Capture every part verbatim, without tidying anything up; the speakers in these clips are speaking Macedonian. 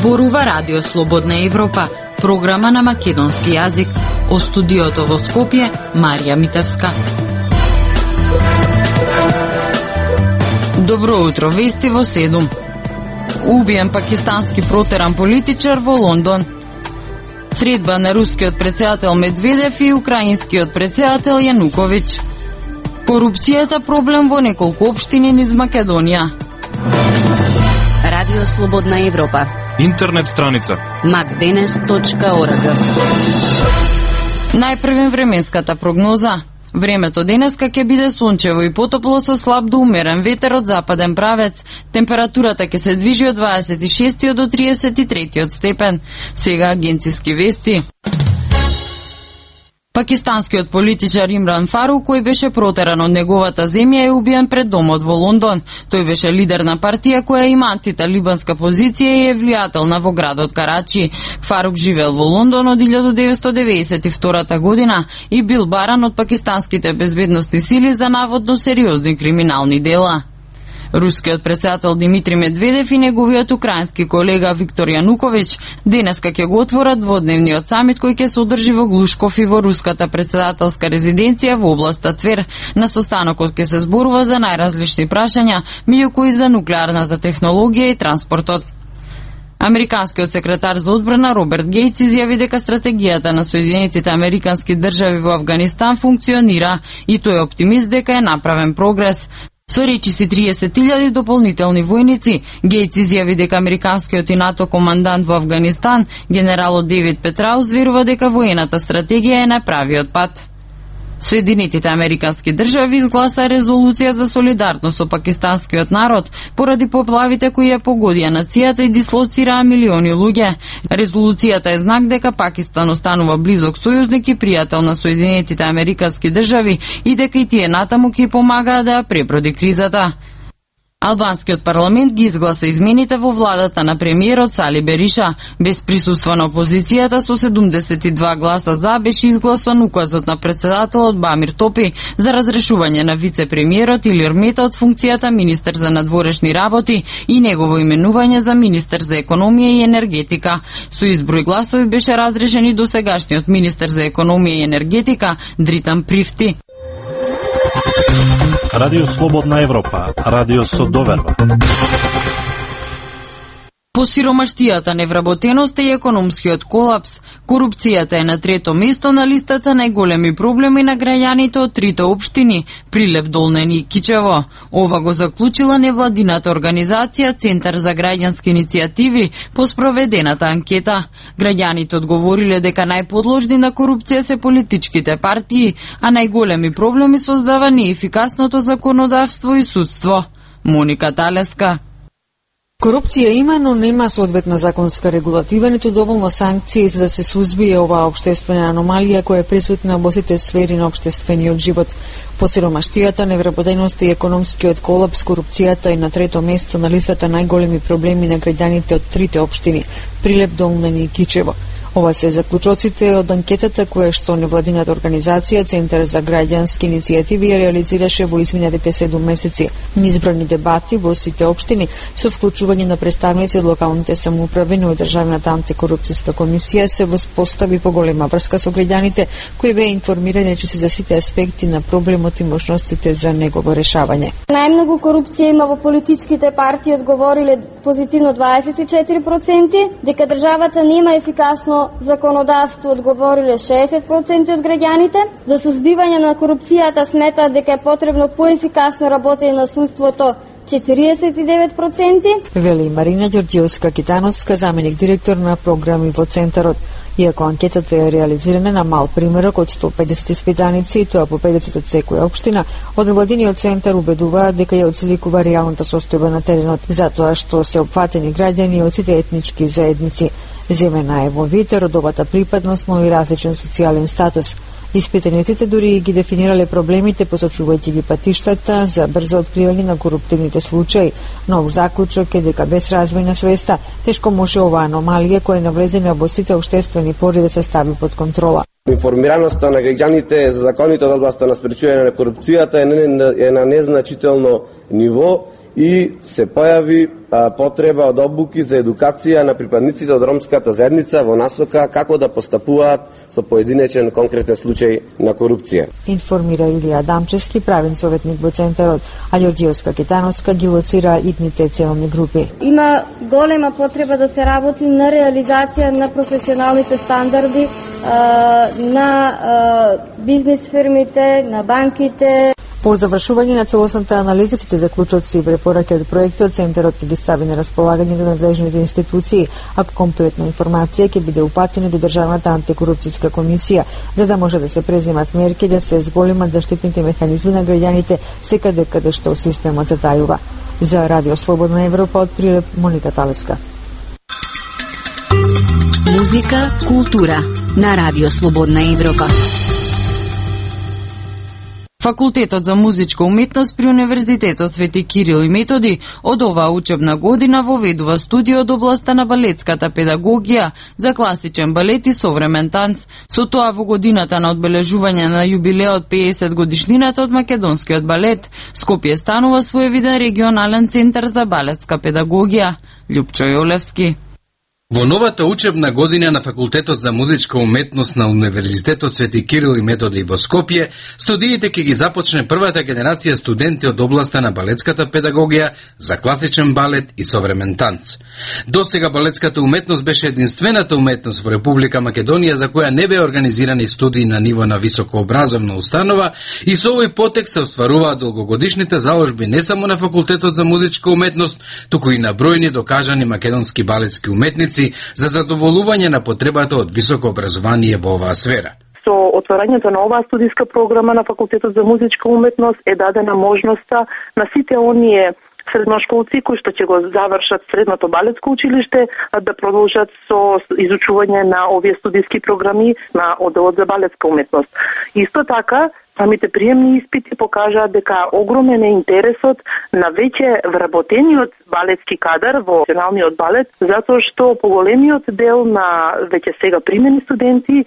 Зборува Радио Слободна Европа, програма на македонски јазик. О студиото во Скопје, Марија Митевска. Добро утро, вести во седум. Убиен пакистански протеран политичар во Лондон. Средба на рускиот претседател Медведев и украинскиот претседател Јануковиќ. Корупцијата проблем во неколку општини низ Македонија. Радио Слободна Европа. Интернет страница макденес точка орг. Најпрвен временската прогноза. Времето денеска ќе биде сончево и потопло со слаб до умерен ветер од западен правец. Температурата ќе се движи од дваесет и шести до триесет и трети степен. Сега агенциски вести. Пакистанскиот политичар Имран Фарук, кој беше протеран од неговата земја, е убиен пред домот во Лондон. Тој беше лидер на партија која има антиталибанска позиција и е влијателна во градот Карачи. Фарук живеел во Лондон од илјада деветстотини деведесет и втора година и бил баран од пакистанските безбедносни сили за наводно сериозни криминални дела. Рускиот претседател Димитри Медведев и неговиот украински колега Виктор Јануковиќ денеска ќе го отворат дводневниот самит кој ќе се одржи во Глушков и во руската претседателска резиденција во областа Твер. На состанокот ќе се зборува за најразлични прашања, меѓу кои за нуклеарната технологија и транспортот. Американскиот секретар за одбрана Роберт Гејтс изјави дека стратегијата на Соединетите американски држави во Авганистан функционира и тој е оптимист дека е направен прогрес. Со речиси триесет илјади дополнителни војници, Гејтс изјави дека американскиот и НАТО командант во Авганистан, генералот Девид Петраус, верува дека воената стратегија е на правиот пат. Соединетите американски држави изгласа резолуција за солидарност со пакистанскиот народ поради поплавите кои ја погодија нацијата и дислоцираа милиони луѓе. Резолуцијата е знак дека Пакистан останува близок сојузник и пријател на Соединетите американски држави и дека и тие натаму ќе помагаат да ја преброди кризата. Албанскиот парламент ги изгласа измените во владата на премиерот Сали Бериша. Без присуство на опозицијата со седумдесет и два гласа за беше изгласан указот на претседателот Бамир Топи за разрешување на вице-премиерот Илир Мета од функцијата министер за надворешни работи и негово именување за министер за економија и енергетика. Со изброј гласови беше разрешен и досегашниот министер за економија и енергетика Дритан Привти. Радио Слободна Европа, радио со доверба. По сиромаштијата, невработеноста и економскиот колапс, корупцијата е на трето место на листата најголеми проблеми на граѓаните од трите општини Прилеп, Долнен и Кичево. Ова го заклучила невладината организација Центар за граѓански иницијативи по спроведената анкета. Граѓаните одговориле дека најподложни на корупција се политичките партии, а најголеми проблеми создава неефикасното законодавство и судство. Моника Талеска. Корупција има, но нема соодветна законска регулатива, ниту доволно санкции за да се сузбие оваа општествена аномалија која е присутна во сите сфери на општествениот живот. По сиромаштијата, невработеноста и економскиот колапс, корупцијата е на трето место на листата најголеми проблеми на граѓаните од трите општини Прилеп, Долнен и Кичево. Ова се заклучоците од анкетата која што невладината организација Центар за граѓански иницијативи ја реализираше во изминатите седум месеци. Низбројни дебати во сите општини со вклучување на представници од локалните самоуправи, но и Државната антикорупцијска комисија се воспостави поголема врска со граѓаните кои беа информирани речиси за сите аспекти на проблемот и можностите за негово решавање. Најмногу корупција има во политичките партии, одговориле позитивно дваесет и четири проценти, дека државата нема ефикасно законодавство, одговориле шеесет проценти од граѓаните. За сузбивање на корупцијата сметаат дека е потребно поефикасно работење на судството, четириесет и девет проценти. Вели Марина Ѓорѓиевска-Китановска, заменик директор на програми во Центарот. Иако анкетата е реализирана на мал примерок од сто и педесет испитаници, тоа по педесет од секоја општина, од невладиниот центар убедуваат дека ја отсликува реалната состојба на теренот, затоа што се опфатени граѓани од сите етнички заедници. Земена е во вид родовата припадност, но и различен социјален статус. Испитаниците дури ги дефинирале проблемите, посочувајќи ги патиштата за брзо откривање на коруптивните случаи. Нов заклучок е дека без развој на свеста тешко може оваа аномалија која е навлезена во сите општествени пори да се стави под контрола. Информираноста на граѓаните за законите од областа на спречување на корупцијата е на незначително ниво и се појави а, потреба од обуки за едукација на припадниците од ромската заедница во насока како да постапуваат со поединечен конкретен случај на корупција. Информира Илија Дамчевски, правен советник во центарот, а Ѓорѓиевска Кетановска ги лоцира итните целни групи. Има голема потреба да се работи на реализација на професионалните стандарди на бизнис фирмите, на банките. По завршување на целосната анализа, сите заклучоци и препораки од проектот, Центарот ќе ги стави на располагање до надлежните институции, а комплетна информација ќе биде упатена до Државната антикорупцијска комисија, за да може да се преземат мерки да се зголемат заштитните механизми на граѓаните секаде каде што системот затајува. За Радио Слободна Европа од Прилеп, Моника Талеска. Музика, култура на Радио Слободна Европа. Факултетот за музичка уметност при Универзитетот Свети Кирил и Методи од оваа учебна година воведува студија од областа на балетската педагогија за класичен балет и современ танц. Со тоа во годината на одбележување на јубилеот педесет годишнината од македонскиот балет, Скопје станува своевиден регионален центар за балетска педагогија. Љупчо Јолевски. Во новата учебна година на Факултетот за музичка уметност на Универзитетот Свети Кирил и Методи во Скопје, студиите ќе ги започне првата генерација студенти од областа на балетската педагогија за класичен балет и современ танц. Досега балетската уметност беше единствената уметност во Република Македонија за која не беа организирани студии на ниво на високообразовна установа и со овој потек се остваруваат долгогодишните заложби не само на Факултетот за музичка уметност, туку и на бројни докажани македонски балетски уметници за задоволување на потребата од високо образование во оваа сфера. Со отворањето на оваа студиска програма на Факултетот за музичка уметност е дадена можноста на сите оние средношколци кои што ќе го завршат средното балетско училиште да продолжат со изучување на овие студиски програми на одделот за балетска уметност. Исто така, самите приемни испити покажаат дека огромен е интересот на веќе вработениот балетски кадар во професионалниот балет, затоа што поголемиот дел на веќе сега примени студенти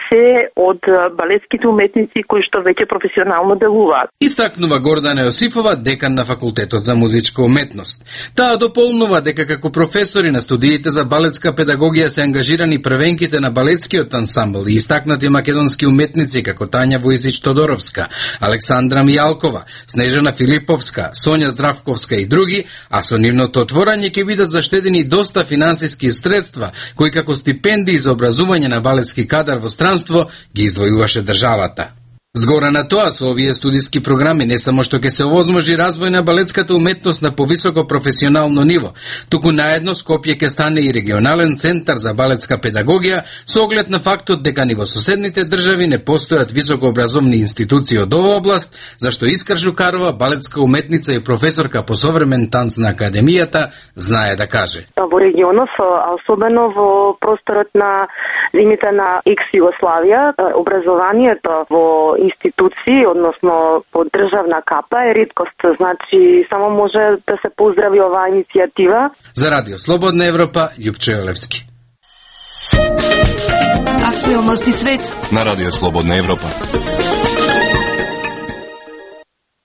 се од балетските уметници кои што веќе професионално делуваат. Истакнува Гордана Јосифова, декан на Факултетот за музичка уметност. Таа дополнува дека како професори на студиите за балетска педагогија се ангажирани првенките на балетскиот ансамбл и истакнати македонски уметници како Тања Војзич-Тодоровска, Александра Мијалкова, Снежана Филиповска, Сонја Здравковска и други, а со нивното отворање ќе бидат заштедени доста финансиски средства кои како стипендии за образување на балетски кадар во странство ги издвојуваше државата. Згора на тоа, со овие студиски програми не само што ќе се овозможи развој на балетската уметност на повисоко професионално ниво, туку наедно Скопје ќе стане и регионален центар за балетска педагогија со оглед на фактот дека ни во соседните држави не постојат високообразовни институции од оваа област, зашто Искра Жукарова, балетска уметница и професорка по современ танц на Академијата, знае да каже. Во регионов, а особено во просторот на земјите на екс-Југославија, образованието во институции, односно по државна капа е реткост, значи само може да се поздрави оваа иницијатива. За Радио Слободна Европа, Љупчо Јолевски. Актуелности свет на Радио Слободна Европа.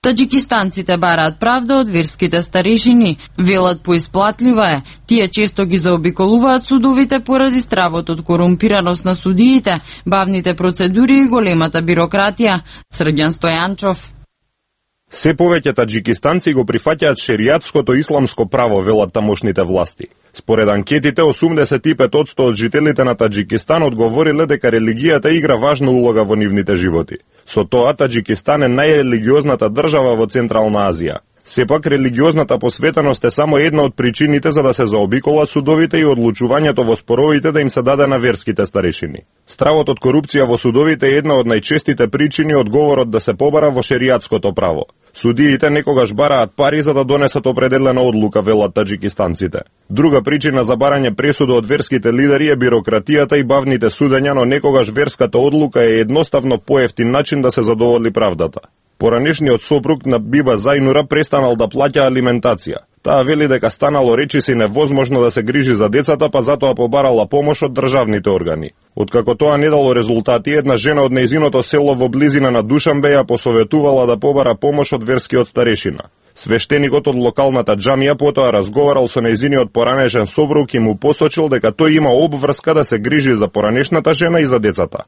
Таџикистанците бараат правда од верските старешини. Велат поисплатлива е. Тие често ги заобиколуваат судовите поради стравот од корумпираност на судиите, бавните процедури и големата бирократија. Срѓан Стојанчов. Се повеќе таџикистанци го прифаќаат шеријатското исламско право, велат тамошните власти. Според анкетите, осумдесет и пет одсто од жителите на Таџикистан одговориле дека религијата игра важна улога во нивните животи. Со тоа, Таџикистан е најрелигиозната држава во Централна Азија. Сепак, религиозната посветеност е само една од причините за да се заобиколат судовите и одлучувањето во споровите да им се даде на верските старешини. Стравот од корупција во судовите е една од најчестите причини одговорот да се побара во шеријатското право. Судиите некогаш бараат пари за да донесат определена одлука, велат таџикистанците. Друга причина за барање пресуда од верските лидери е бирократијата и бавните судења, но некогаш верската одлука е едноставно поевтин начин да се задоволи правдата. Поранешниот сопруг на Биба Зајнура престанал да плаќа алиментација. Таа вели дека станало речиси невозможно да се грижи за децата, па затоа побарала помош од државните органи. Откако тоа не дало резултати, една жена од нејзиното село во близина на Душанбе ја посоветувала да побара помош од верскиот старешина. Свештеникот од локалната џамија потоа разговарал со нејзиниот поранешен сопруг и му посочил дека тој има обврска да се грижи за поранешната жена и за децата.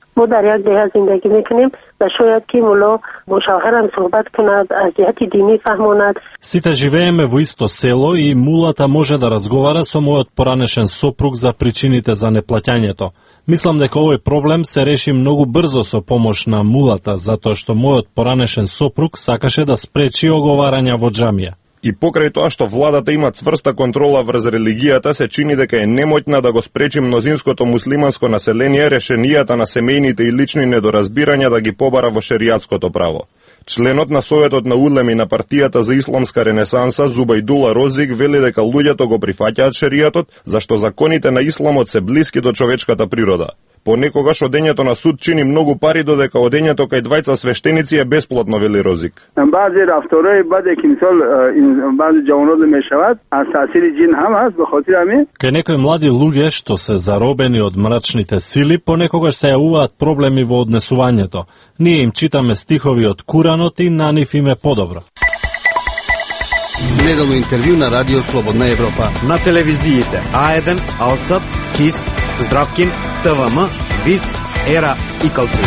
Сите живееме во исто село и мулата може да разговара со мојот поранешен сопруг за причините за неплаќањето. Мислам дека овој проблем се реши многу брзо со помош на мулата, затоа што мојот поранешен сопруг сакаше да спречи оговарања во џамија. И покрај тоа што владата има цврста контрола врз религијата, се чини дека е немотна да го спречи мнозинското муслиманско население решенијата на семејните и лични недоразбирања да ги побара во шеријатското право. Членот на Советот на улеми на партијата за исламска ренесанса Зубајдула Розик вели дека луѓето го прифаќаат шеријатот, зашто законите на исламот се блиски до човечката природа. Понекогаш одењето на суд чини многу пари, додека одењето кај двајца свештеници е бесплатно, вели Розик. Кај некои млади луѓе што се заробени од мрачните сили, понекогаш се јавуваат проблеми во однесувањето. Ние им читаме стихови од Куранот и на нив им е подобро. Неделно интервју на Радио Слободна Европа. На телевизиите А еден, Алсат, КИС, Здравкин, ТВМ, ВИС, Ера и Калтур.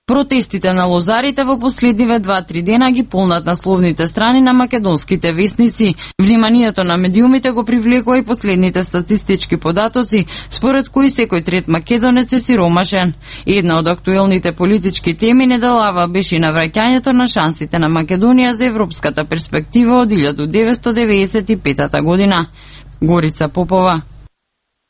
Протестите на лозарите во последниве два-три дена ги полнат насловните страни на македонските весници. Вниманието на медиумите го привлекува и последните статистички податоци, според кои секој трет македонец е сиромашен. Една од актуелните политички теми неделава беше навраќањето на шансите на Македонија за европската перспектива од илјада деветстотини деветдесет и петата година. Горица Попова.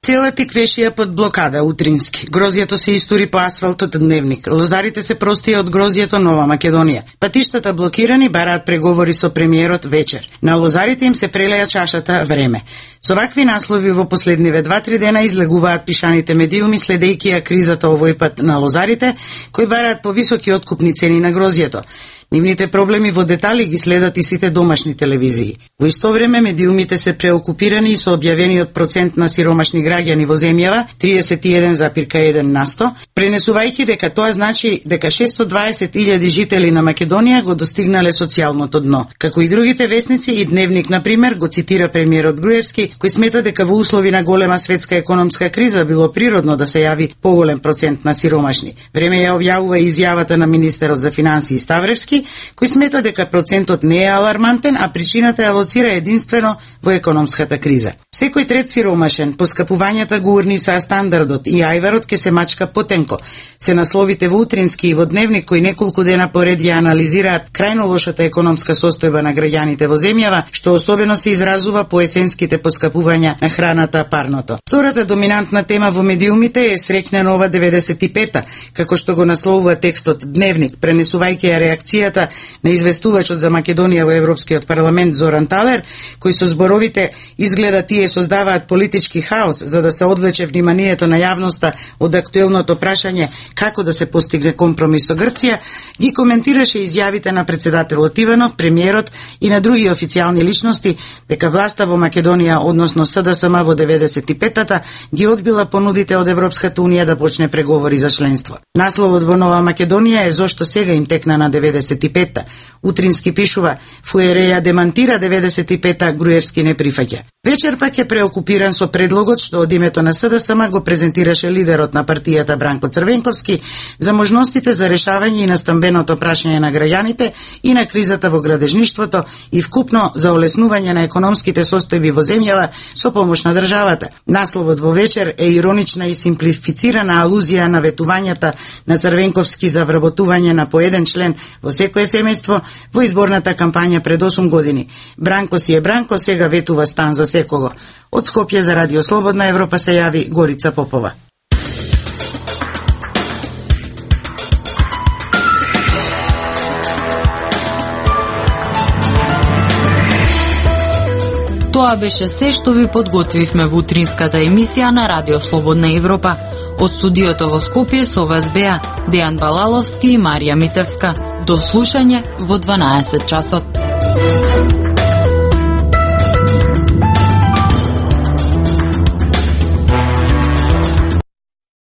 Цела тиквешија под блокада утрински. Грозијето се истури по асфалтот Дневник. Лозарите се простија од грозијето Нова Македонија. Патиштата блокирани, бараат преговори со премиерот вечер. На лозарите им се прелеја чашата време. Со вакви наслови во последниве два-три дена излегуваат пишаните медиуми следејќи ја кризата овој пат на лозарите, кои бараат повисоки откупни цени на грозијето. Нивните проблеми во детали ги следат и сите домашни телевизии. Во исто време медиумите се преокупирани и со објавениот процент на сиромашни граѓани во земјава триесет и еден зарез еден на сто, пренесувајќи дека тоа значи дека шестоста и дваесет илјади жители на Македонија го достигнале социјалното дно. Како и другите весници, и Дневник, на пример, го цитира премиерот Груевски, кој смета дека во услови на голема светска економска криза било природно да се јави поголем процент на сиромашни. Време ја објавува и изјавата на министерот за финансии Ставревски, кој смета дека процентот не е алармантен, а причината ја лоцира единствено во економската криза. Секој трет сиромашен, поскапувањата го урниса стандардот и ајварот ке се мачка потенко. Се насловите во Утрински и во Дневник, кои неколку дена поред ја анализираат крајно лошата економска состојба на граѓаните во земјава, што особено се изразува по есенските поскапувања на храната, парното. Втората доминантна тема во медиумите е Среќна нова деветдесет и пета, како што го насловува текстот Дневник, пренесувајќи ја реакцијата на известувачот за Македонија во Европскиот парламент Зоран Талер, кој со зборовите изгледа тие создаваат политички хаос за да се одвлече вниманието на јавноста од актуелното прашање како да се постигне компромис со Грција, ги коментираше изјавите на председателот Иванов, премиерот и на други официјални личности дека власта во Македонија, односно СДСМ во деветдесет и петата, ги одбила понудите од Европската унија да почне преговори за членство. Насловот во Нова Македонија е зошто сега им текна на деветдесет и пета. Утрински пишува: Фуереја демантира деветдесет и пета, Груевски не прифаќа. Вечер пак е преокупиран со предлогот што од името на СДСМ го презентираше лидерот на партијата Бранко Црвенковски за можностите за решавање и на стамбеното прашање на граѓаните и на кризата во градежништвото и вкупно за олеснување на економските состојби во земјава со помош на државата. Насловот во вечер е иронична и симплифицирана алузија на ветувањата на Црвенковски за вработување на по еден член во секое семејство во изборната кампања пред осум години. Бранко си е Бранко, сега ветува стан за секого. Од Скопје за Радио Слободна Европа се јави Горица Попова. Тоа беше се што ви подготвивме во утринската емисија на Радио Слободна Европа. Од студиото во Скопје со вас беа Дејан Балаловски и Марија Митевска. До слушање во дванаесет часот.